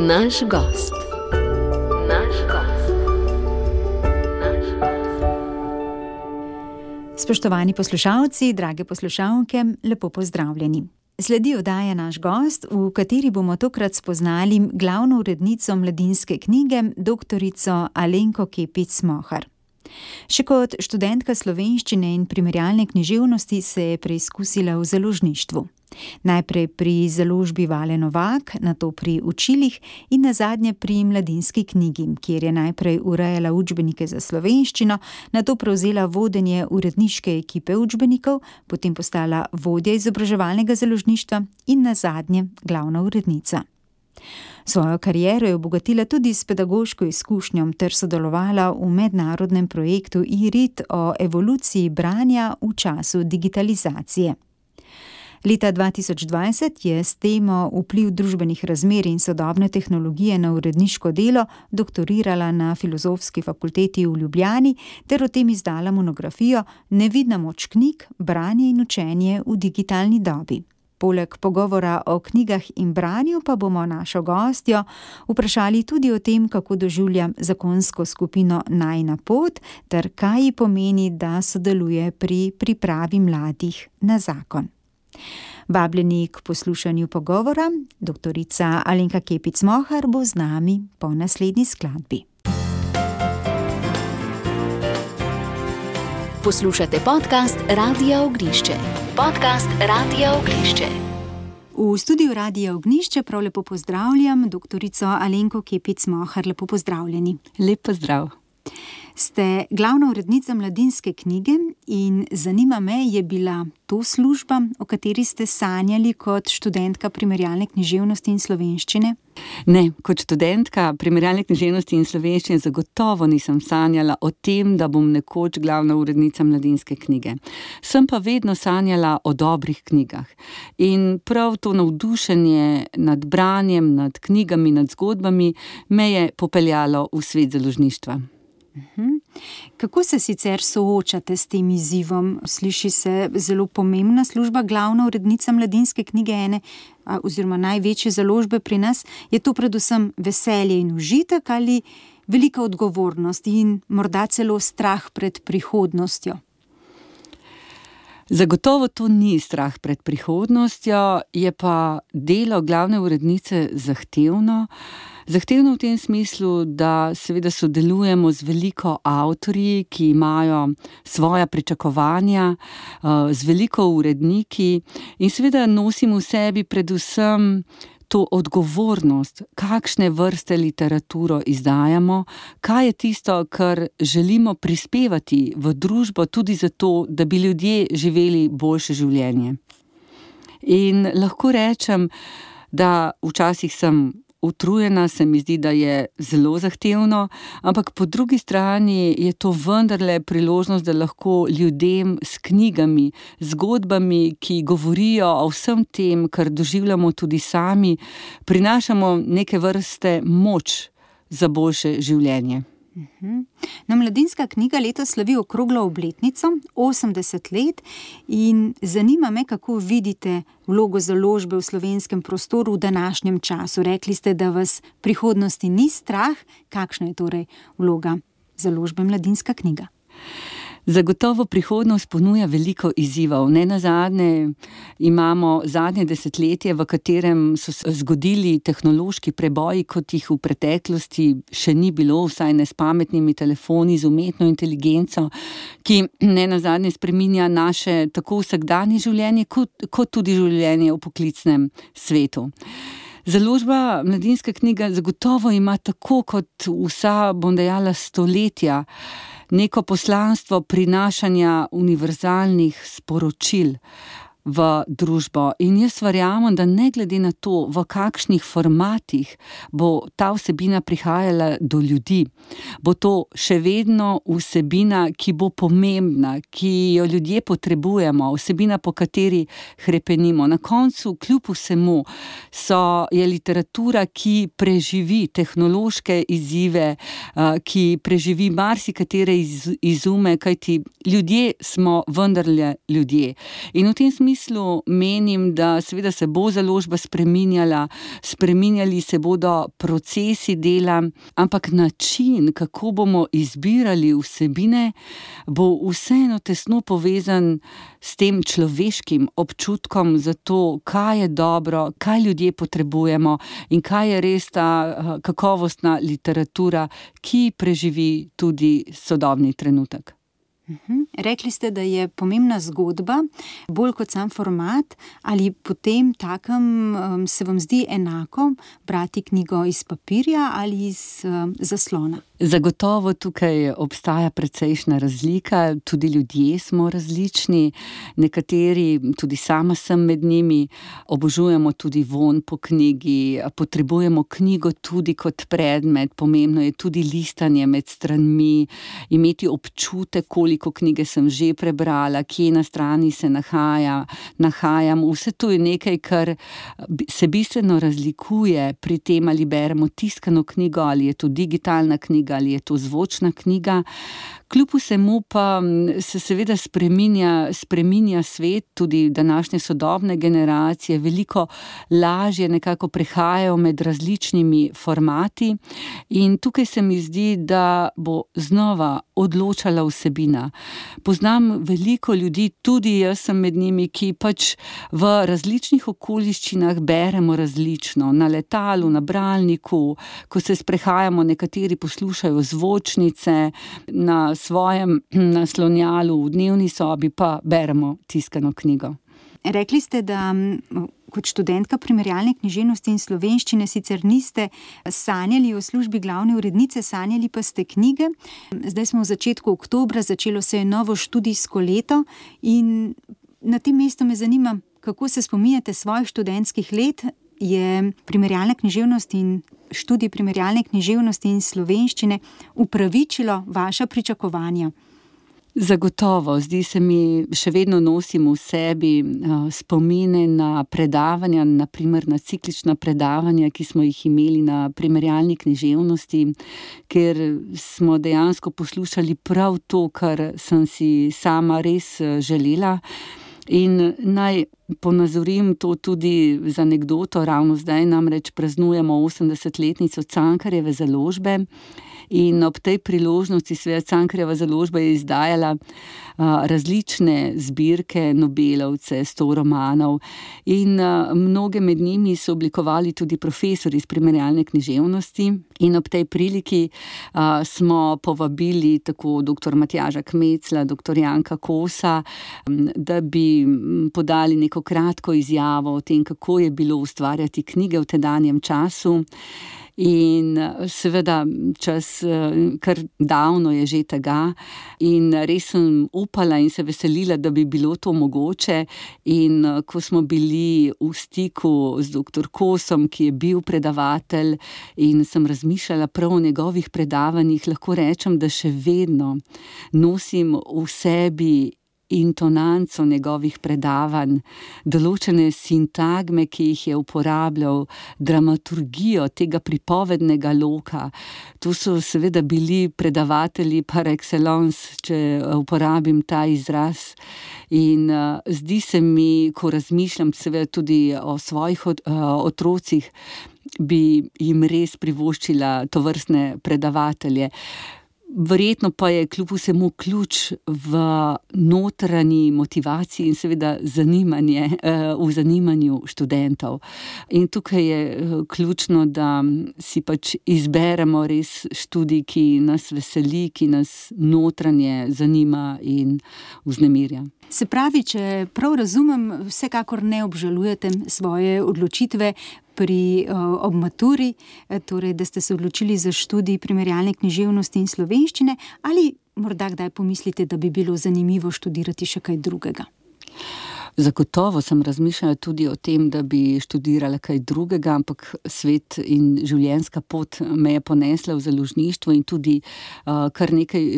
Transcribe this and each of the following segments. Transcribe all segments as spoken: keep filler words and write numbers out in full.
Naš gost. Naš gost. Naš gost. Spoštovani poslušalci, drage poslušalke, lepo pozdravljeni. Sledi oddaja Naš gost, v kateri bomo tokrat spoznali glavno urednico Mladinske knjige, doktorico Alenko Kepic Mohar. Še kot študentka slovenščine in primerjalne književnosti se je preizkusila v založništvu. Najprej pri založbi Vale Novak, nato pri učilih in nazadnje pri Mladinski knjigi, kjer je najprej urejala učbenike za slovenščino, nato prevzela vodenje uredniške ekipe učbenikov, potem postala vodja izobraževalnega založništva in nazadnje glavna urednica. Svojo kariero je obogatila tudi s pedagoško izkušnjo ter sodelovala v mednarodnem projektu I R I T o evoluciji branja v času digitalizacije. Leta dva tisoč dvajset je s temo Vpliv družbenih razmer in sodobne tehnologije na uredniško delo doktorirala na Filozofski fakulteti v Ljubljani ter o tem izdala monografijo Nevidna moč knjig, branje in učenje v digitalni dobi. Poleg pogovora o knjigah in branju pa bomo našo gostjo vprašali tudi o tem, kako doživlja zakonsko skupino Najina pot ter kaj ji pomeni, da sodeluje pri pripravi mladih na zakon. Vabljeni k poslušanju pogovora, doktorica Alenka Kepic Mohar bo z nami po naslednji skladbi. Poslušate podcast Radia Ognišče. Podcast Radia Ognišče. V studiu Radia Ognišče prav lepo pozdravljam doktorico Alenko Kepic Mohar. Lepo pozdravljeni. Lep pozdrav. Ste glavna urednica Mladinske knjige in zanima me, je bila to služba, o kateri ste sanjali kot študentka primerjalne književnosti in slovenščine? Ne, kot študentka primerjalne književnosti in slovenščine zagotovo nisem sanjala o tem, da bom nekoč glavna urednica Mladinske knjige. Sem pa vedno sanjala o dobrih knjigah. In prav to navdušenje nad branjem, nad knjigami, nad zgodbami me je popeljalo v svet založništva. Kako se sicer soočate s tem izzivom? Sliši se zelo pomembna služba, glavna urednica Mladinske knjige, ene oziroma največje založbe pri nas. Je to predvsem veselje in užitek ali velika odgovornost in morda celo strah pred prihodnostjo? Zagotovo to ni strah pred prihodnostjo, je pa delo glavne urednice zahtevno. Zahtevno v tem smislu, da seveda sodelujemo z veliko avtorji, ki imajo svoja pričakovanja, z veliko uredniki in seveda nosim v sebi predvsem to odgovornost, kakšne vrste literaturo izdajamo, kaj je tisto, kar želimo prispevati v družbo tudi zato, da bi ljudje živeli boljše življenje. In lahko rečem, da včasih sem utrujena, se mi zdi, da je zelo zahtevno, ampak po drugi strani je to vendarle priložnost, da lahko ljudem s knjigami, zgodbami, ki govorijo o vsem tem, kar doživljamo tudi sami, prinašamo neke vrste moč za boljše življenje. No, Mladinska knjiga letos slavi okroglo obletnico, osemdeset let, in zanima me, kako vidite vlogo založbe v slovenskem prostoru v današnjem času. Rekli ste, da vas prihodnosti ni strah. Kakšna je torej vloga založbe Mladinska knjiga? Zagotovo prihodnost ponuja veliko izzivov. Nenazadnje imamo zadnje desetletje, v katerem so se zgodili tehnološki preboji, kot jih v preteklosti še ni bilo, vsaj ne s pametnimi telefoni, z umetno inteligenco, ki nenazadnje spreminja naše tako vsakdanje življenje, kot, kot tudi življenje v poklicnem svetu. Založba Mladinska knjiga zagotovo ima tako kot vsa, bom dejala, stoletja, neko poslanstvo prinašanja univerzalnih sporočil v družbo. In jaz verjamem, da ne glede na to, v kakšnih formatih bo ta vsebina prihajala do ljudi, bo to še vedno vsebina, ki bo pomembna, ki jo ljudje potrebujemo, vsebina, po kateri hrepenimo. Na koncu, kljub vsemu, so, je literatura, ki preživi tehnološke izzive, ki preživi marsikatere iz, izume, kajti ljudje smo vendarle ljudje. In v tem smislu smislu menim, da seveda se bo založba spreminjala, spreminjali se bodo procesi dela, ampak način, kako bomo izbirali vsebine, bo vseeno tesno povezan s tem človeškim občutkom za to, kaj je dobro, kaj ljudje potrebujemo in kaj je res ta kakovostna literatura, ki preživi tudi sodobni trenutek. Uhum. Rekli ste, da je pomembna zgodba, bolj kot sam format, ali potem takem um, se vam zdi enako brati knjigo iz papirja ali iz um, zaslona? Zagotovo tukaj obstaja precejšnja razlika, tudi ljudje smo različni, nekateri, tudi sama sem med njimi, obožujemo tudi vonj po knjigi, potrebujemo knjigo tudi kot predmet, pomembno je tudi listanje med stranmi, imeti občutek, koliko knjige sem že prebrala, kje na strani se nahaja, nahajam, vse to je nekaj, kar se bistveno razlikuje pri tem, ali beremo tiskano knjigo, ali je to digitalna knjiga, ali je to zvočna knjiga. Kljub vsemu pa se seveda spreminja, spreminja svet, tudi današnje sodobne generacije veliko lažje nekako prehajajo med različnimi formati in tukaj se mi zdi, da bo znova odločala vsebina. Poznam veliko ljudi, tudi jaz sem med njimi, ki pač v različnih okoliščinah beremo različno. Na letalu, na bralniku, ko se sprehajamo, nekateri poslušajo zvočnice, na svojem naslonjalu v dnevni sobi pa beremo tiskano knjigo. Rekli ste, da kot študentka primerjalne književnosti in slovenščine sicer niste sanjali o službi glavne urednice, sanjali pa ste knjige. Zdaj smo v začetku oktobra, začelo se je novo študijsko leto in na tem mestu me zanima, kako se spominjate svojih študentskih let. Je primerjalna književnost in študij primerjalne književnosti in slovenščine upravičilo vaša pričakovanja? Zagotovo, zdi se mi, še vedno nosim v sebi spomine na predavanja, na primer na ciklična predavanja, ki smo jih imeli na primerjalni književnosti, ker smo dejansko poslušali prav to, kar sem si sama res želela. In naj ponazorim to tudi z anekdoto, ravno zdaj namreč praznujemo osemdesetletnico Cankarjeve založbe in ob tej priložnosti seveda Cankarjeva založba je izdajala a, različne zbirke Nobelovce, sto romanov in a, mnoge med njimi so oblikovali tudi profesori iz primerjalne književnosti in ob tej priliki a, smo povabili tako doktor Matjaža Kmecla, doktor Janka Kosa, da bi podali neko kratko izjavo o tem, kako je bilo ustvarjati knjige v tedanjem času. In seveda čas kar davno je že tega in res sem upala in se veselila, da bi bilo to mogoče. In ko smo bili v stiku z doktor Kosom, ki je bil predavatelj in sem razmišljala prav o njegovih predavanjih, lahko rečem, da še vedno nosim v sebi intonanco njegovih predavanj, določene sintagme, ki jih je uporabljal, dramaturgijo tega pripovednega loka. To so seveda bili predavatelji par excellence, če uporabim ta izraz. In uh, zdi se mi, ko razmišljam seveda tudi o svojih od, uh, otrocih, bi jim res privoščila tovrstne predavatelje. Verjetno pa je kljub vsemu ključ v notranji motivaciji in seveda zanimanje, v zanimanju študentov. In tukaj je ključno, da si pač izberemo res študij, ki nas veseli, ki nas notranje zanima in vznemirja. Se pravi, če prav razumem, vsekakor ne obžalujete svoje odločitve pri uh, ob maturi, torej da ste se odločili za študij primerjalne književnosti in slovenščine, ali morda kdaj pomislite, da bi bilo zanimivo študirati še kaj drugega? Zagotovo sem razmišljala tudi o tem, da bi študirala kaj drugega, ampak svet in življenjska pot me je ponesla v založništvo in tudi uh, kar nekaj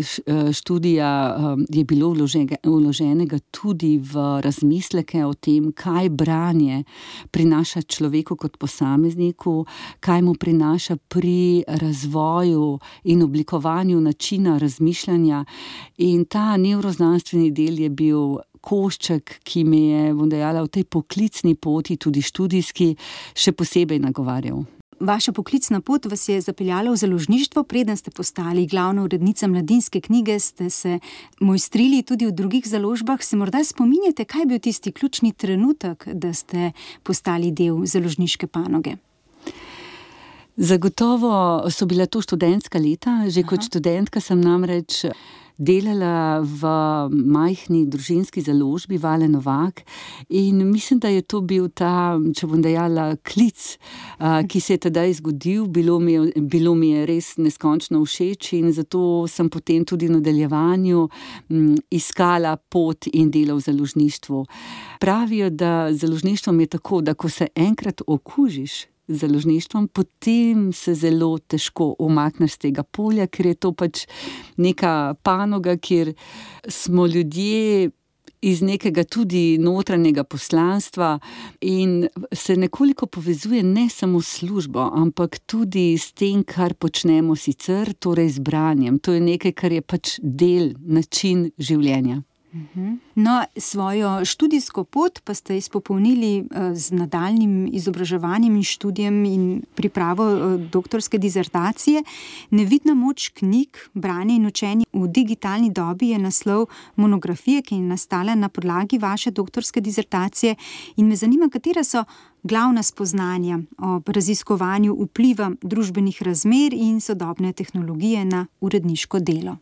študija uh, je bilo vloženega, vloženega tudi v razmisleke o tem, kaj branje prinaša človeku kot posamezniku, kaj mu prinaša pri razvoju in oblikovanju načina razmišljanja. In ta nevroznanstveni del je bil košček, ki me je, bom dejala, v tej poklicni poti, tudi študijski, še posebej nagovarjal. Vaša poklicna pot vas je zapeljala v založništvo, preden ste postali glavna urednica Mladinske knjige, ste se mojstrili tudi v drugih založbah. Se morda spominjate, kaj je bil tisti ključni trenutek, da ste postali del založniške panoge? Zagotovo so bila to študentska leta. Že Aha. kot študentka sem namreč delala v majhni družinski založbi Vale Novak in mislim, da je to bil ta, če bom dejala, klic, ki se je tedaj zgodil. Bilo mi je, bilo mi je res neskončno všeč in zato sem potem tudi v nadaljevanju iskala pot in dela v založništvu. Pravijo, da založništvom je tako, da ko se enkrat okužiš z založništvom, potem se zelo težko umakneš z tega polja, ker je to pač neka panoga, kjer smo ljudje iz nekega tudi notranjega poslanstva in se nekoliko povezuje ne samo s službo, ampak tudi s tem, kar počnemo sicer, torej z branjem. To je nekaj, kar je pač del, način življenja. No, svojo študijsko pot pa ste izpopolnili z nadaljnjim izobraževanjem in študijem in pripravo doktorske disertacije. Nevidna moč knjig, branje in učenje v digitalni dobi je naslov monografije, ki je nastala na podlagi vaše doktorske disertacije. In me zanima, katera so glavna spoznanja o raziskovanju vpliva družbenih razmer in sodobne tehnologije na uredniško delo.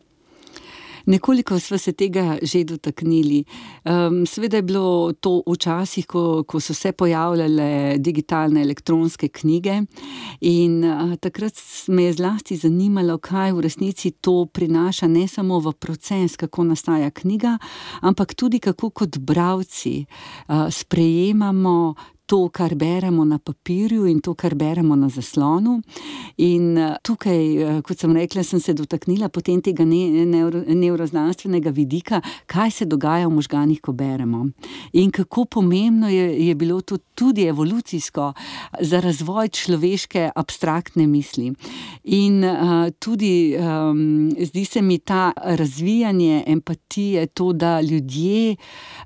Nekoliko sva se tega že dotaknili. Um, seveda je bilo to v časih, ko, ko so se pojavljale digitalne elektronske knjige in uh, takrat me je zlasti zanimalo, kaj v resnici to prinaša ne samo v proces, kako nastaja knjiga, ampak tudi kako kot bralci uh, sprejemamo to, kar beremo na papirju in to, kar beremo na zaslonu. In tukaj, kot sem rekla, sem se dotaknila potem tega ne, neuro, nevroznanstvenega vidika, kaj se dogaja v možganih, ko beremo. In kako pomembno je, je bilo to tudi evolucijsko za razvoj človeške abstraktne misli. In uh, tudi um, zdi se mi ta razvijanje empatije, to, da ljudje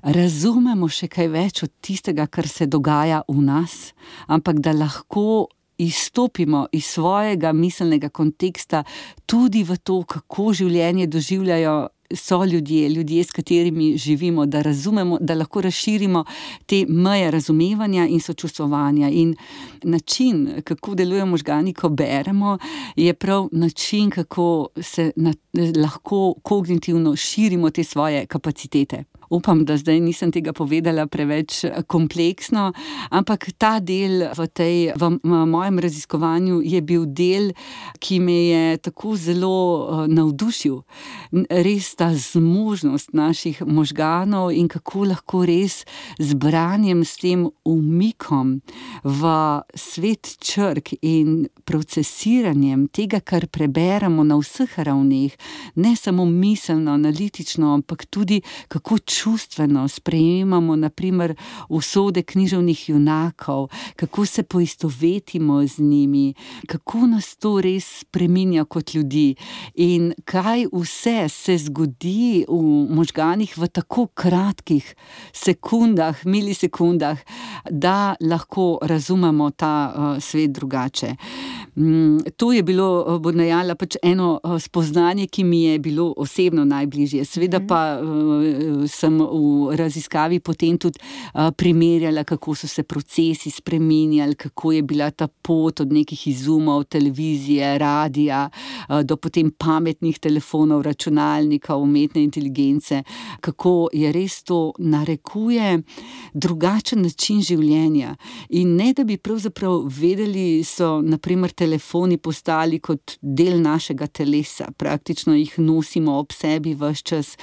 razumemo še kaj več od tistega, kar se dogaja v nas, ampak da lahko izstopimo iz svojega miselnega konteksta tudi v to, kako življenje doživljajo so ljudje, ljudje, s katerimi živimo, da razumemo, da lahko razširimo te meje razumevanja in sočustvovanja. In način, kako delujejo možgani, ko beremo, je prav način, kako se na, lahko kognitivno širimo te svoje kapacitete. Upam, da zdaj nisem tega povedala preveč kompleksno, ampak ta del v, tej, v mojem raziskovanju je bil del, ki me je tako zelo navdušil. Res ta zmožnost naših možganov in kako lahko res z branjem, s tem umikom v svet črk in procesiranjem tega, kar preberemo na vseh ravneh, ne samo miselno, analitično, ampak tudi kako čustveno sprejemamo naprimer usode književnih junakov, kako se poistovetimo z njimi, kako nas to res spreminja kot ljudi in kaj vse se zgodi v možganih v tako kratkih sekundah, milisekundah, da lahko razumemo ta uh, svet drugače. Mm, to je bilo, bom dejala, pač eno spoznanje, ki mi je bilo osebno najbližje. Seveda pa uh, sem v raziskavi potem tudi uh, primerjala, kako so se procesi spreminjali, kako je bila ta pot od nekih izumov, televizije, radija, uh, do potem pametnih telefonov, računalnika, umetne inteligence, kako je res to narekuje drugačen način življenja. In ne, da bi pravzaprav vedeli, so naprimer telefoni postali kot del našega telesa, praktično jih nosimo ob sebi ves čas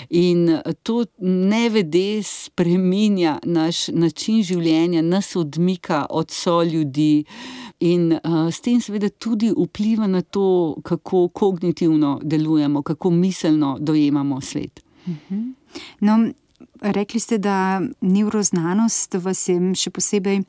in to nevede spreminja naš način življenja, nas odmika od soljudi in uh, s tem seveda tudi vpliva na to, kako kognitivno delujemo, kako miselno dojemamo svet. Uh-huh. No, rekli ste, da nevroznanost vas je še posebej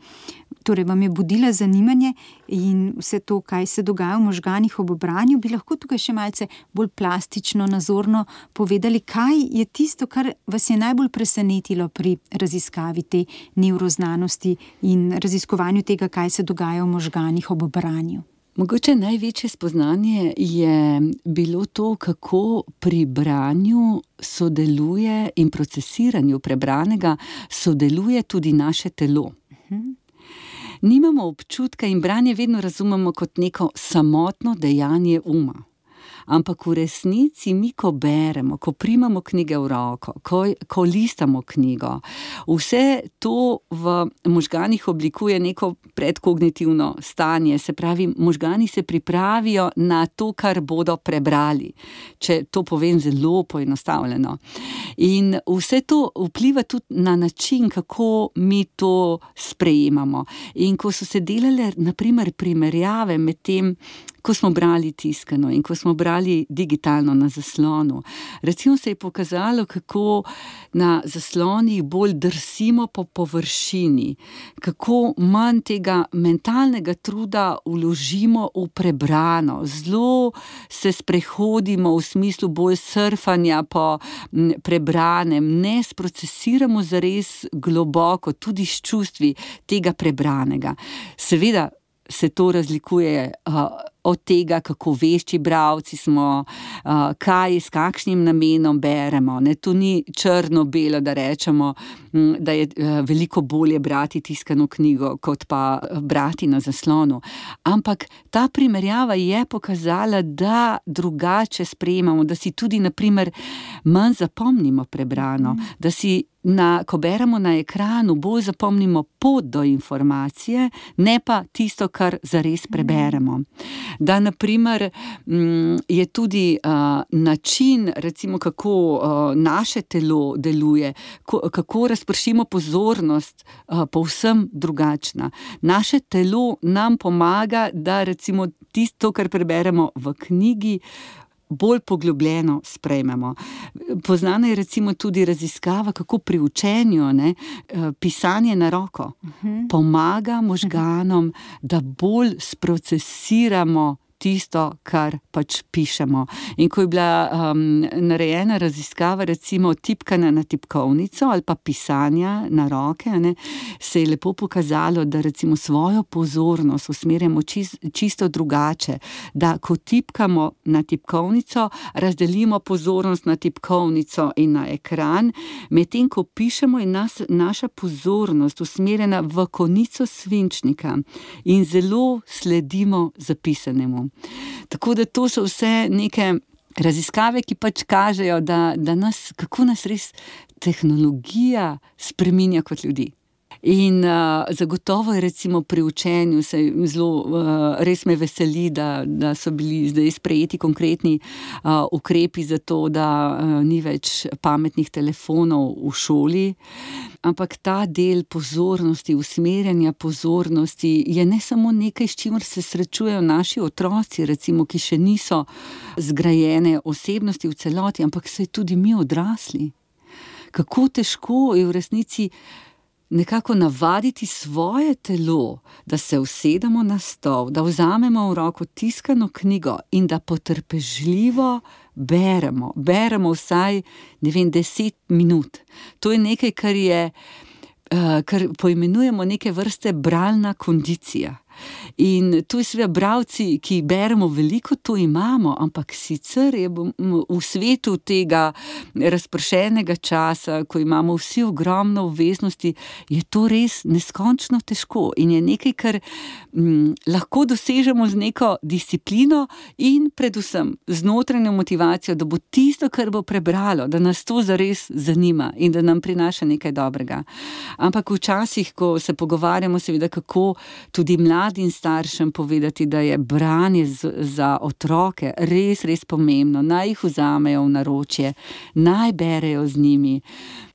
torej vam je budila zanimanje in vse to, kaj se dogaja v možganih ob branju, bi lahko tukaj še malce bolj plastično, nazorno povedali, kaj je tisto, kar vas je najbolj presenetilo pri raziskavi te nevroznanosti in raziskovanju tega, kaj se dogaja v možganih ob branju. Mogoče največje spoznanje je bilo to, kako pri branju sodeluje in procesiranju prebranega sodeluje tudi naše telo. Uh-huh. Nimamo občutka in branje vedno razumemo kot neko samotno dejanje uma. Ampak v resnici mi, ko beremo, ko primamo knjige v roko, ko, ko listamo knjigo, vse to v možganih oblikuje neko predkognitivno stanje, se pravi, možgani se pripravijo na to, kar bodo prebrali, če to povem zelo poenostavljeno. In vse to vpliva tudi na način, kako mi to sprejemamo. In ko so se delale, na primer, primerjave med tem, ko smo brali tiskano in ko smo brali digitalno na zaslonu. Recimo se je pokazalo, kako na zaslonih bolj drsimo po površini, kako manj tega mentalnega truda vložimo v prebrano. Zelo se sprehodimo v smislu bolj surfanja po prebranem, ne sprocesiramo zares globoko, tudi s čustvi tega prebranega. Seveda se to razlikuje uh, od tega, kako vešči bralci smo, uh, kaj, s kakšnim namenom beremo. Ne, to ni črno-belo, da rečemo, m, da je uh, veliko bolje brati tiskano knjigo, kot pa brati na zaslonu. Ampak ta primerjava je pokazala, da drugače sprejemamo, da si tudi, na primer, manj zapomnimo prebrano, mm. da si Na, ko beremo na ekranu, bolj zapomnimo pot do informacije, ne pa tisto, kar zares preberemo. Da, na primer, je tudi uh, način, recimo, kako uh, naše telo deluje, ko, kako razpršimo pozornost, uh, povsem drugačna. Naše telo nam pomaga, da recimo tisto, kar preberemo v knjigi, bolj poglobljeno sprejmemo. Poznana je recimo tudi raziskava, kako pri učenju, ne, pisanje na roko uh-huh. pomaga možganom, da bolj sprocesiramo tisto, kar pač pišemo. In ko je bila um, narejena raziskava, recimo tipkana na tipkovnico ali pa pisanja na roke, ne, se je lepo pokazalo, da recimo svojo pozornost usmerjamo čist, čisto drugače, da ko tipkamo na tipkovnico, razdelimo pozornost na tipkovnico in na ekran, medtem ko pišemo in nas, naša pozornost usmerjena v konico svinčnika in zelo sledimo zapisanemu. Tako da to so vse neke raziskave, ki pač kažejo, da, da nas, kako nas res tehnologija spreminja kot ljudi. In uh, zagotovo je recimo pri učenju se zelo, uh, res me veseli, da, da so bili zdaj sprejeti konkretni uh, ukrepi za to, da uh, ni več pametnih telefonov v šoli. Ampak ta del pozornosti, usmerjanja pozornosti je ne samo nekaj, s čimer se srečujejo naši otroci, recimo, ki še niso zgrajene osebnosti v celoti, ampak se tudi mi odrasli. Kako težko je v resnici nekako navaditi svoje telo, da se usedemo na stol, da vzamemo v roko tiskano knjigo in da potrpežljivo beremo. Beremo vsaj, ne vem, deset minut. To je nekaj, kar je, uh, kar poimenujemo neke vrste bralna kondicija. In to je seveda bralci, ki beremo veliko, to imamo, ampak sicer je v svetu tega razpršenega časa, ko imamo vsi ogromno obveznosti, je to res neskončno težko in je nekaj, kar m, lahko dosežemo z neko disciplino in predvsem z notranjo motivacijo, da bo tisto, kar bo prebralo, da nas to zares zanima in da nam prinaša nekaj dobrega. Ampak včasih, ko se pogovarjamo, seveda, kako tudi mladi mladim staršem povedati, da je branje z, za otroke res, res pomembno. Naj jih vzamejo v naročje, naj berejo z njimi.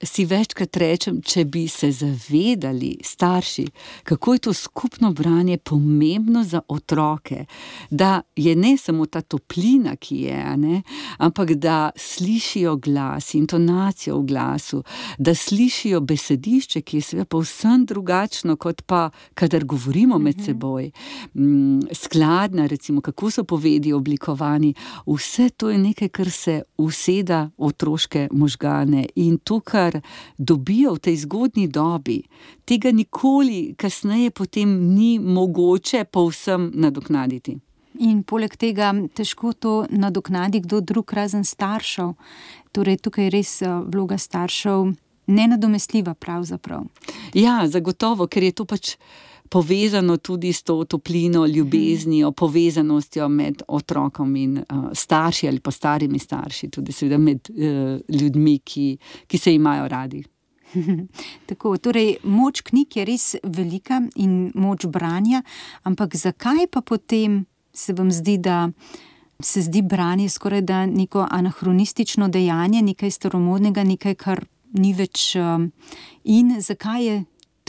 Si večkrat rečem, če bi se zavedali starši, kako je to skupno branje pomembno za otroke, da je ne samo ta toplina, ki je, ne, ampak da slišijo glas, intonacijo v glasu, da slišijo besedišče, ki je seveda povsem drugačno, kot pa, kadar govorimo med seboj. Skladna, recimo, kako so povedi oblikovani, vse to je nekaj, kar se useda v otroške možgane in to, kar dobijo v tej zgodnji dobi, tega nikoli kasneje potem ni mogoče povsem nadoknaditi. In poleg tega težko to nadoknadi kdo drug razen staršev. Torej, tukaj je res vloga staršev nenadomestljiva pravzaprav. Ja, zagotovo, ker je to pač povezano tudi s to toplino, ljubeznijo, povezanostjo med otrokom in uh, starši ali pa starimi starši, tudi seveda med uh, ljudmi, ki, ki se imajo radi. Tako, torej moč knjig je res velika in moč branja, ampak zakaj pa potem se vam zdi, da se zdi branje skoraj da neko anahronistično dejanje, nekaj staromodnega, nekaj, kar ni več um, in zakaj je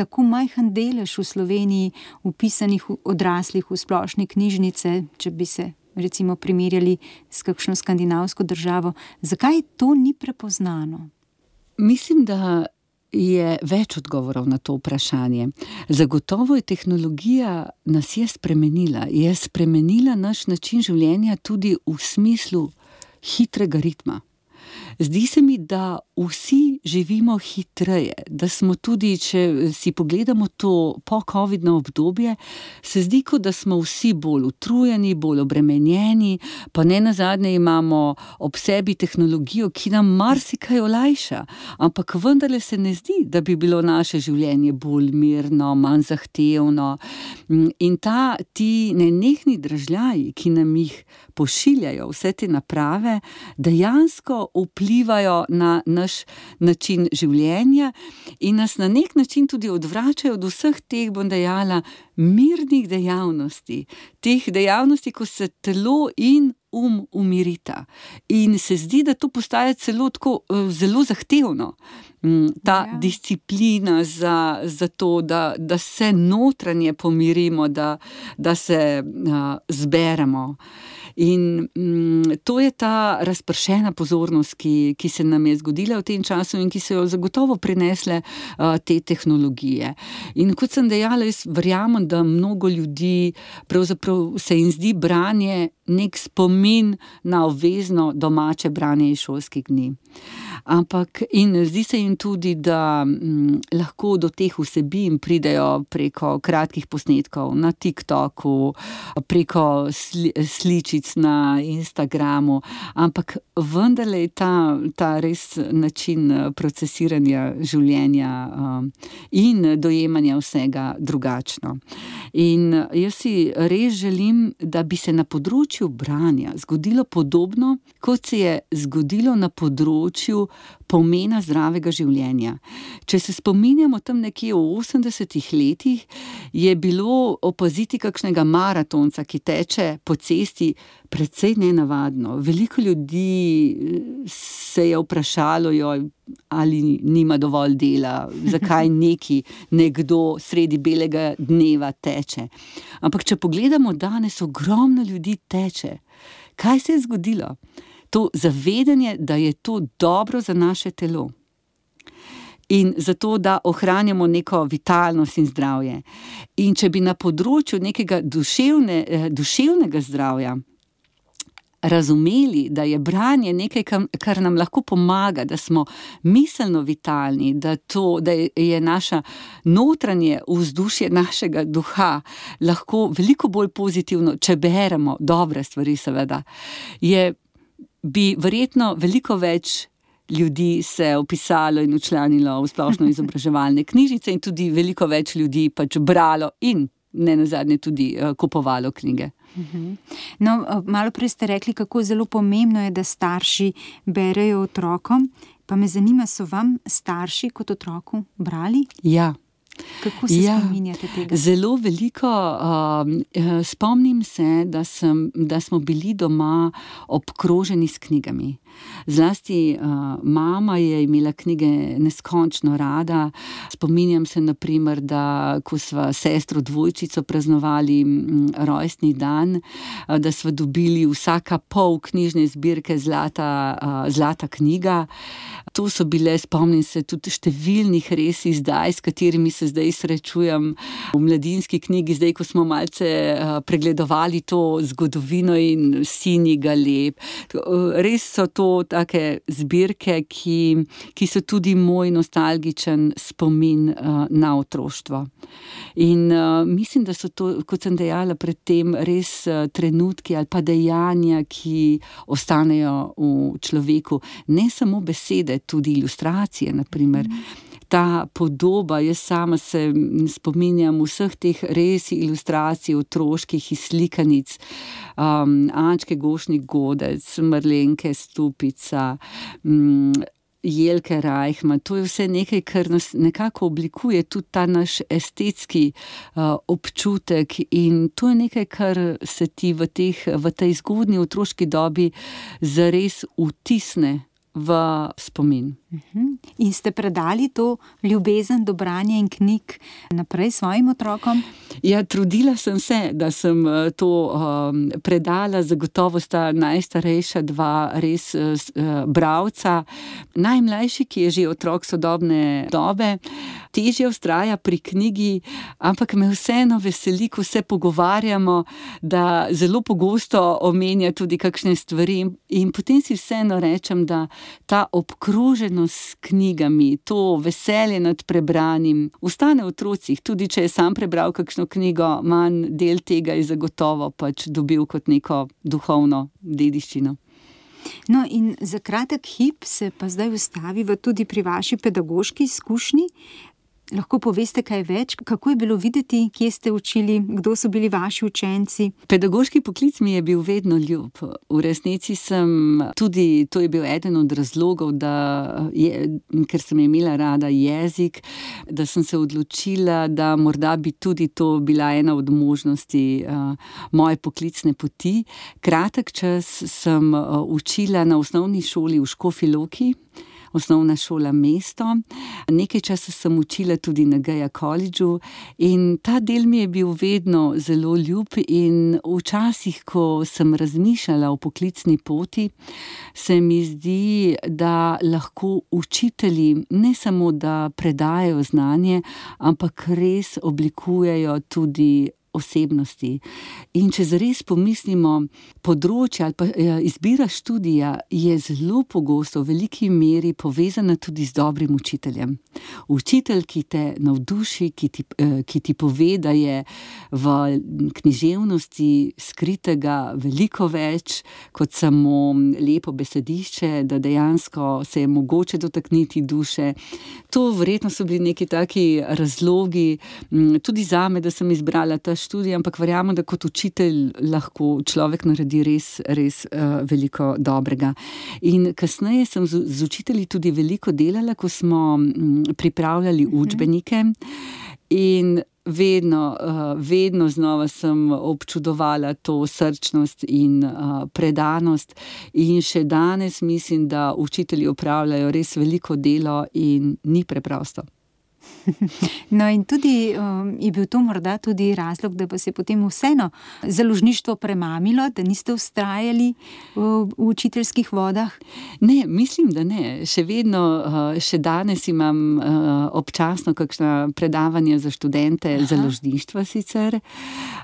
tako majhen delež v Sloveniji vpisanih odraslih v splošne knjižnice, če bi se recimo primerjali s kakšno skandinavsko državo. Zakaj to ni prepoznano? Mislim, da je več odgovorov na to vprašanje. Zagotovo je tehnologija nas je spremenila. Je spremenila naš način življenja tudi v smislu hitrega ritma. Zdi se mi, da vsi živimo hitreje, da smo tudi, če si pogledamo to po-covidno obdobje, se zdi, kot da smo vsi bolj utrujeni, bolj obremenjeni, pa ne nazadnje imamo ob sebi tehnologijo, ki nam marsikaj olajša, ampak vendarle se ne zdi, da bi bilo naše življenje bolj mirno, manj zahtevno. In ta, ti nenehni dražljaji, ki nam jih pošiljajo vse te naprave, dejansko vplivajo na naš način življenja in nas na nek način tudi odvračajo od vseh teh, bom dejala, mirnih dejavnosti. Teh dejavnosti, ko se telo in um umirita. In se zdi, da to postaja celo tako zelo zahtevno. Ta ja. disciplina za, za to, da, da se notranje pomirimo, da, da se uh, zberemo. In mm, to je ta razpršena pozornost, ki, ki se nam je zgodila v tem času in ki so jo zagotovo prinesle uh, te tehnologije. In kot sem dejala, jaz verjamem, da mnogo ljudi pravzaprav se jim zdi branje nek spomin na obvezno domače branje iz šolskih dni. Ampak in zdi se jim tudi, da m, lahko do teh vsebin pridejo preko kratkih posnetkov na TikToku, preko sli, sličic na Instagramu, ampak vendarle je ta, ta res način procesiranja življenja um, in dojemanja vsega drugačno. In jaz si res želim, da bi se na področju branja zgodilo podobno, kot se je zgodilo na področju pomena zdravega življenja. Če se spominjamo tam nekje v osemdesetih letih, je bilo opaziti kakšnega maratonca, ki teče po cesti, precej nenavadno. Veliko ljudi se je vprašalo, joj, ali nima dovolj dela, zakaj neki nekdo sredi belega dneva teče. Ampak če pogledamo danes, ogromno ljudi teče. Kaj se je zgodilo? To zavedanje, da je to dobro za naše telo. In zato, da ohranjamo neko vitalnost in zdravje. In če bi na področju nekega duševne, duševnega zdravja razumeli, da je branje nekaj, kar nam lahko pomaga, da smo miselno vitalni, da, to, da je naša notranje vzdušje našega duha lahko veliko bolj pozitivno, če beremo dobre stvari, seveda, je bi verjetno veliko več ljudi se vpisalo in včlanilo v splošno izobraževalne knjižnice in tudi veliko več ljudi pač bralo in ne nazadnje tudi uh, kupovalo knjige. No, malo prej ste rekli, kako zelo pomembno je, da starši berejo otrokom, pa me zanima, so vam starši kot otroku brali? Ja. Kako se ja, spominjate tega? Zelo veliko. Uh, spomnim se, da, sem, da smo bili doma obkroženi s knjigami. Zlasti uh, mama je imela knjige neskončno rada. Spominjam se, na primer, da ko sva sestro dvojčico praznovali m, rojstni dan, uh, da sva dobili vsaka pol knjižne zbirke Zlata, uh, zlata knjiga. To so bile, spomnim se, tudi številnih res izdaj, s katerimi se zdaj srečujem v Mladinski knjigi, zdaj, ko smo malce uh, pregledovali to zgodovino in Sinji galeb. Uh, res so to take zbirke, ki, ki so tudi moj nostalgičen spomin uh, na otroštvo. In uh, mislim, da so to, kot sem dejala predtem, res uh, trenutki ali pa dejanja, ki ostanejo v človeku. Ne samo besede, tudi ilustracije, na primer. Mm. Ta podoba, jaz sama se spominjam vseh teh res ilustracij otroških iz slikanic, um, Ančke Gošnik Godec, Marlenke Stupica, um, Jelke Reichman. To je vse nekaj, kar nas nekako oblikuje, tudi ta naš estetski uh, občutek, in to je nekaj, kar se ti v, teh, v tej zgodnji otroški dobi zares vtisne v spomin. In ste predali to ljubezen do branja in knjig naprej svojim otrokom? Ja, trudila sem se, da sem to um, predala. Zagotovo sta najstarejša dva res uh, bralca. Najmlajši, ki je že otrok sodobne dobe, težje vztraja pri knjigi, ampak me vseeno veseli, ko se pogovarjamo, da zelo pogosto omenja tudi kakšne stvari, in potem si vseeno rečem, da ta obkroženost s knjigami, to veselje nad prebranim ostane v otrocih. Tudi če je sam prebral kakšno knjigo, manj del tega je zagotovo pač dobil kot neko duhovno dediščino. No, in za kratek hip se pa zdaj ustaviva tudi pri vaši pedagoški izkušnji. Lahko poveste kaj več, kako je bilo videti, kje ste učili, kdo so bili vaši učenci? Pedagoški poklic mi je bil vedno ljub. V resnici sem tudi, to je bil eden od razlogov, da je, ker sem imela rada jezik, da sem se odločila, da morda bi tudi to bila ena od možnosti uh, moje poklicne poti. Kratek čas sem uh, učila na osnovni šoli v Škofji Loki, osnovna šola mesto. Nekaj časa sem učila tudi na Geja Collegeu in ta del mi je bil vedno zelo ljub, in včasih, ko sem razmišljala o poklicni poti, se mi zdi, da lahko učitelji ne samo, da predajajo znanje, ampak res oblikujejo tudi osebnosti. In če zares pomislimo, področje ali pa izbira študija je zelo pogosto v veliki meri povezana tudi z dobrim učiteljem. Učitelj, ki te navduši, ki ti, ki ti pove, da je v književnosti skritega veliko več kot samo lepo besedišče, da dejansko se je mogoče dotakniti duše. To verjetno so bili neki taki razlogi tudi zame, da sem izbrala ta študij, ampak verjamem, da kot učitelj lahko človek naredi res, res uh, veliko dobrega. In kasneje sem z, z učitelji tudi veliko delala, ko smo m, pripravljali učbenike, in vedno, uh, vedno znova sem občudovala to srčnost in uh, predanost, in še danes mislim, da učitelji opravljajo res veliko delo in ni preprosto. No, in tudi um, je bil to morda tudi razlog, da vas je potem vseeno založništvo premamilo, da niste vztrajali v, v učiteljskih vodah? Ne, mislim, da ne. Še vedno, še danes imam občasno kakšna predavanja za študente, Aha. založništva sicer.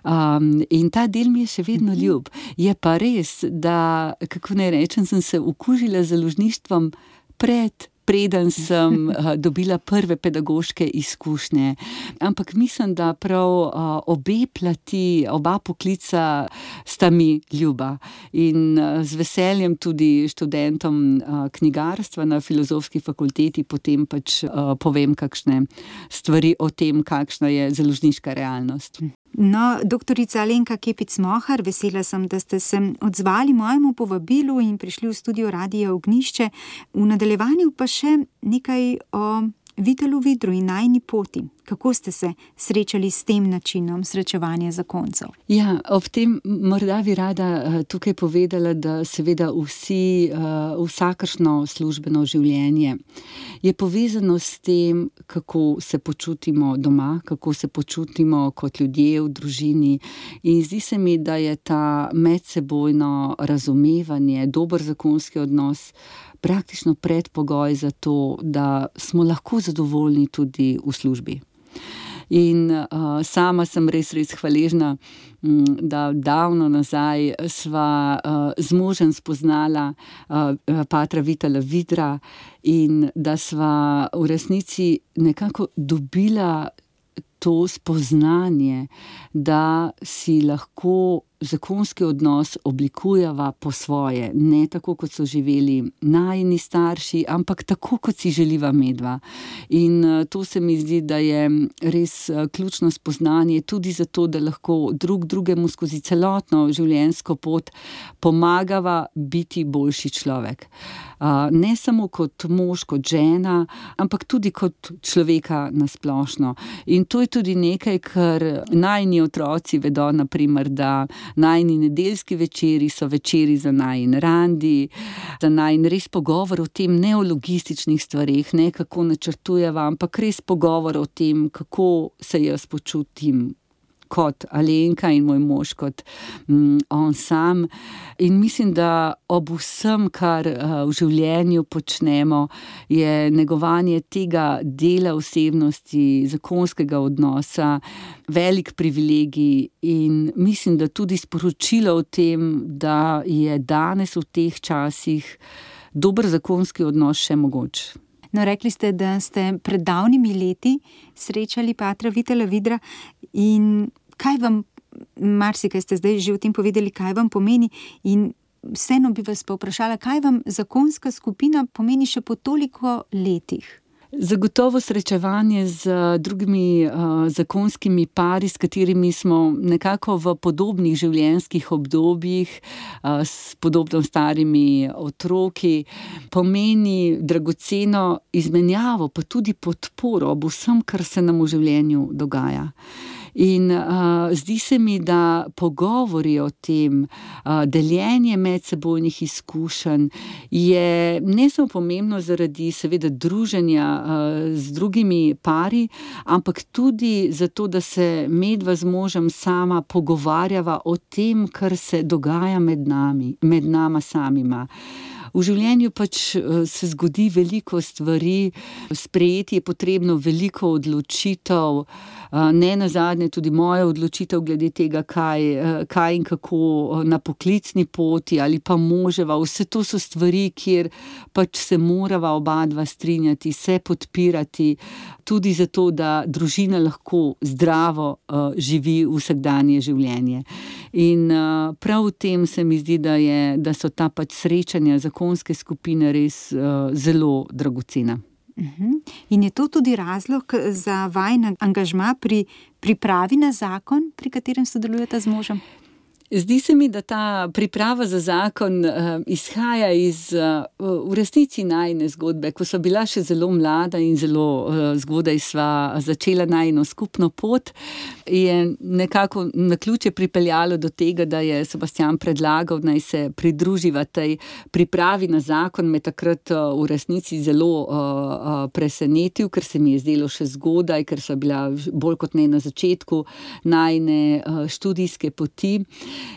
Um, in ta del mi je še vedno ljub. Je pa res, da, kako naj rečem, sem se okužila z založništvom pred preden sem uh, dobila prve pedagoške izkušnje. Ampak mislim, da prav uh, obe plati, oba poklica sta mi ljuba. In uh, z veseljem tudi študentom uh, knjigarstva na Filozofski fakulteti potem pač uh, povem kakšne stvari o tem, kakšna je založniška realnost. No, doktorica Alenka Kepic-Mohar, vesela sem, da ste se odzvali mojemu povabilu in prišli v studio Radia Ognjišče. V nadaljevanju pa še nekaj o Vitalu Vidru in najini poti. Kako ste se srečali s tem načinom srečevanja zakoncev? Ja, ob tem morda bi rada tukaj povedala, da seveda vsi, vsakršno službeno življenje je povezano s tem, kako se počutimo doma, kako se počutimo kot ljudje v družini. In zdi se mi, da je ta medsebojno razumevanje, dober zakonski odnos praktično predpogoj za to, da smo lahko zadovoljni tudi v službi. In uh, sama sem res, res hvaležna, m, da davno nazaj sva uh, z možem spoznala uh, patra Vitala Vidra in da sva v resnici nekako dobila to spoznanje, da si lahko zakonski odnos oblikujeva po svoje, ne tako, kot so živeli najini starši, ampak tako, kot si želiva medva. In to se mi zdi, da je res ključno spoznanje tudi zato, da lahko drug drugemu skozi celotno življenjsko pot pomagava biti boljši človek. Ne samo kot mož, kot žena, ampak tudi kot človeka nasplošno. In to je tudi nekaj, kar najini otroci vedo, na primer, da najini nedeljski večeri so večeri za najin randi, za najin res pogovor o tem, ne o logističnih stvareh, ne kako načrtujeva, ampak res pogovor o tem, kako se jaz počutim kot Alenka in moj mož kot mm, on sam. In mislim, da ob vsem, kar uh, v življenju počnemo, je negovanje tega dela osebnosti, zakonskega odnosa, velik privilegij in mislim, da tudi sporočilo o tem, da je danes v teh časih dober zakonski odnos še mogoč. No, rekli ste, da ste pred davnimi leti srečali patra Vitala Vidra in kaj vam, marsikaj ste zdaj že o tem povedali, kaj vam pomeni in vseeno bi vas pa vprašala, kaj vam zakonska skupina pomeni še po toliko letih? Zagotovo srečevanje z drugimi uh, zakonskimi pari, s katerimi smo nekako v podobnih življenjskih obdobjih, uh, s podobno starimi otroki, pomeni dragoceno izmenjavo, pa tudi podporo ob vsem, kar se nam v življenju dogaja. In uh, zdi se mi, da pogovori o tem, uh, deljenje medsebojnih izkušenj je ne samo pomembno zaradi seveda druženja uh, z drugimi pari, ampak tudi zato, da se medva z možem sama pogovarjava o tem, kar se dogaja med nami, med nama samima. V življenju pač se zgodi veliko stvari, sprejeti je potrebno veliko odločitev, ne nazadnje tudi moja odločitev glede tega, kaj, kaj in kako na poklicni poti ali pa moževa. Vse to so stvari, kjer pač se morava oba dva strinjati, se podpirati, tudi zato, da družina lahko zdravo uh, živi vsakdanje življenje. In uh, prav v tem se mi zdi, da, je, da so ta pač srečanja zakonske skupine res uh, zelo dragocena. Uh-huh. In je to tudi razlog za vajin angažma pri pripravi na zakon, pri katerem sodelujete z možem? Zdi se mi, da ta priprava za zakon uh, izhaja iz uh, v resnici najine zgodbe. Ko sva bila še zelo mlada in zelo uh, zgodaj sva začela najino skupno pot, je nekako naključje pripeljalo do tega, da je Sebastijan predlagal, naj se pridruživa tej pripravi na zakon. Me takrat uh, v resnici zelo uh, uh, presenetil, ker se mi je zdelo še zgodaj, ker sva bila bolj kot ne na začetku najine uh, študijske poti.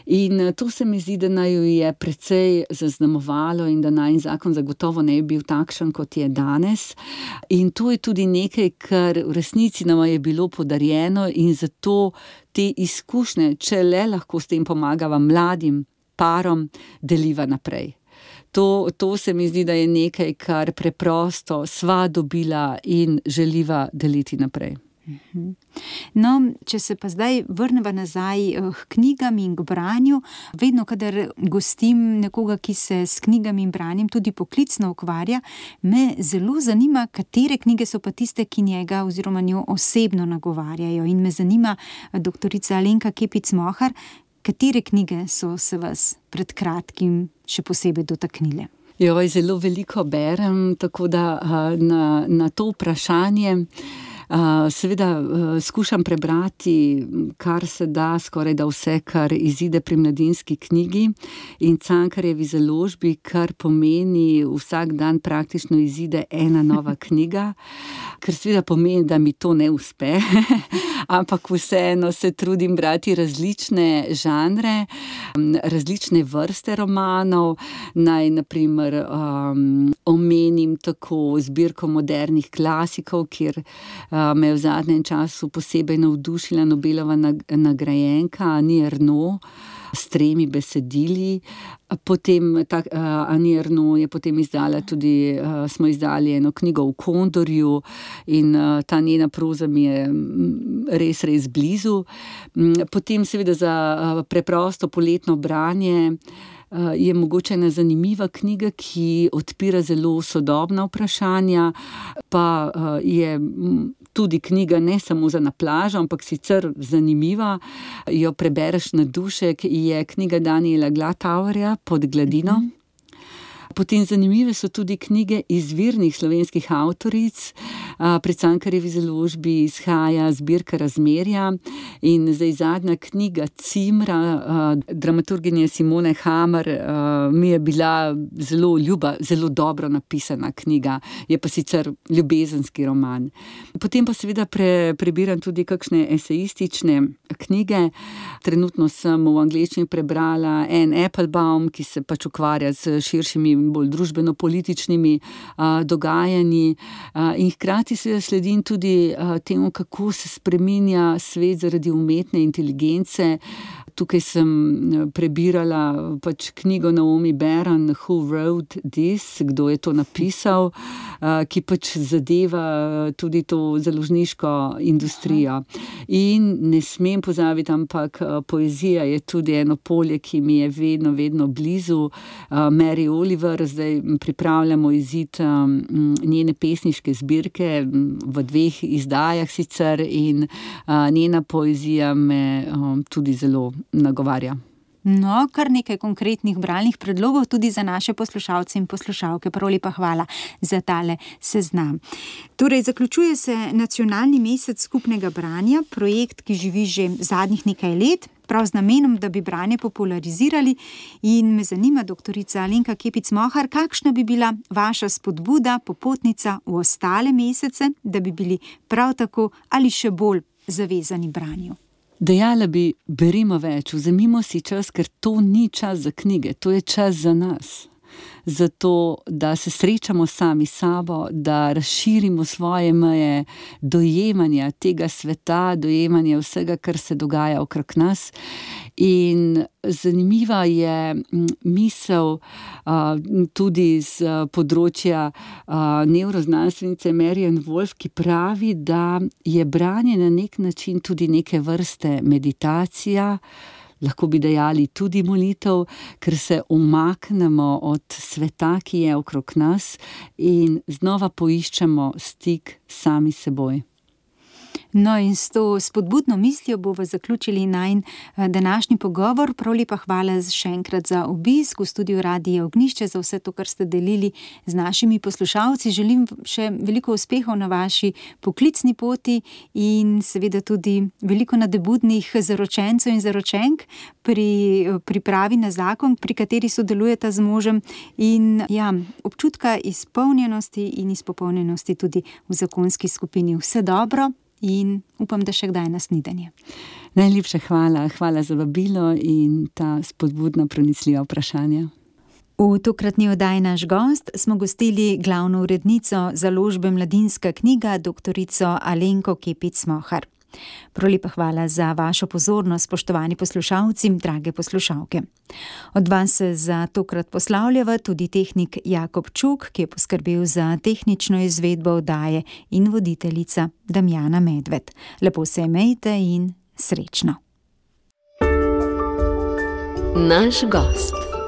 In to se mi zdi, da naj jo je precej zaznamovalo in da najin zakon zagotovo ne bi bil takšen, kot je danes. In to je tudi nekaj, kar v resnici nam je bilo podarjeno in zato te izkušnje, če le lahko s tem pomagava mladim parom, deliva naprej. To, to se mi zdi, da je nekaj, kar preprosto sva dobila in želiva deliti naprej. No, če se pa zdaj vrneva nazaj k knjigam in k branju, vedno, kadar gostim nekoga, ki se s knjigami in branjem tudi poklicno ukvarja, me zelo zanima, katere knjige so pa tiste, ki njega oziroma njo osebno nagovarjajo. In me zanima, doktorica Alenka Kepic Mohar, katere knjige so se vas pred kratkim še posebej dotaknile? Joj, zelo veliko berem, tako da na, na to vprašanje Seveda skušam prebrati, kar se da, skoraj da vse, kar izide pri Mladinski knjigi in Cankarjevi založbi, kar pomeni vsak dan praktično izide ena nova knjiga, kar seveda pomeni, da mi to ne uspe, ampak vseeno se trudim brati različne žanre, različne vrste romanov. Naj na primer um, omenim tako zbirko modernih klasikov, kjer uh, me je v zadnjem času posebej navdušila Nobelova nagrajenka Annie Ernaux s tremi besedili. Potem ta uh, Annie Ernaux je potem izdala tudi, uh, smo izdali eno knjigo v Kondorju in uh, ta njena proza mi je res, res blizu. Potem seveda za uh, preprosto poletno branje je mogoče ena zanimiva knjiga, ki odpira zelo sodobna vprašanja, pa je tudi knjiga ne samo za na plažo, ampak sicer zanimiva, jo prebereš na dušek, je knjiga Daniela Glatauerja Pod gladino. Potem zanimive so tudi knjige izvirnih slovenskih avtoric. Pri Cankarjevi založbi izhaja zbirka Razmerja in zdaj zadnja knjiga Cimra, dramaturginje Simone Hammer, mi je bila zelo ljuba, zelo dobro napisana knjiga, je pa sicer ljubezenski roman. Potem pa seveda pre, prebiram tudi kakšne esejistične knjige. Trenutno sem v angleščini prebrala Anne Applebaum, ki se pač ukvarja s širšimi bolj družbeno-političnimi a, dogajanji a, in hkrati se sledim tudi a, temu, kako se spreminja svet zaradi umetne inteligence. Tukaj sem prebirala pač knjigo Naomi Beran, Who Wrote This, kdo je to napisal, a, ki pač zadeva tudi to založniško industrijo. In ne smem pozabiti, ampak poezija je tudi eno polje, ki mi je vedno, vedno blizu. A, Mary Oliver, zdaj pripravljamo izid um, njene pesniške zbirke v dveh izdajah sicer in uh, njena poezija me um, tudi zelo nagovarja. No, kar nekaj konkretnih bralnih predlogov tudi za naše poslušalce in poslušalke. Prav lepa hvala za tale seznam. Torej, zaključuje se Nacionalni mesec skupnega branja, projekt, ki živi že zadnjih nekaj let, prav z namenom, da bi branje popularizirali, in me zanima, doktorica Alenka Kepic Mohar, kakšna bi bila vaša spodbuda, popotnica v ostale mesece, da bi bili prav tako ali še bolj zavezani branju? Dejala bi, berimo več, vzemimo si čas, ker to ni čas za knjige, to je čas za nas. Zato, da se srečamo sami s sabo, da razširimo svoje meje dojemanja tega sveta, dojemanja vsega, kar se dogaja okrog nas. In zanimiva je misel uh, tudi z področja uh, nevroznanstvenice Marianne Wolf, ki pravi, da je branje na nek način tudi neke vrste meditacija, lahko bi dejali tudi molitev, ker se umaknemo od sveta, ki je okrog nas, in znova poiščemo stik sami s seboj. No, in s to spodbudno mislijo bomo zaključili najin današnji pogovor. Prav lepa hvala še enkrat za obisk v studiu Radia Ognjišče, za vse to, kar ste delili z našimi poslušalci. Želim še veliko uspehov na vaši poklicni poti in seveda tudi veliko nadebudnih zaročencev in zaročenk pri pripravi na zakon, pri kateri sodelujeta z možem, in ja, občutka izpolnjenosti in izpopolnjenosti tudi v zakonski skupini. Vse dobro. In upam, da še kdaj na snidenje. Najlepša hvala, hvala za vabilo in ta spodbudna, pronicljiva vprašanja. V tokratni oddaji Naš gost smo gostili glavno urednico založbe Mladinska knjiga, doktorico Alenko Kepic Mohar. Prav lepa hvala za vašo pozornost, spoštovani poslušalci, drage poslušalke. Od vas se za tokrat poslavljava tudi tehnik Jakob Čuk, ki je poskrbel za tehnično izvedbo oddaje, in voditeljica Damjana Medved. Lepo se imejte in srečno. Naš gost.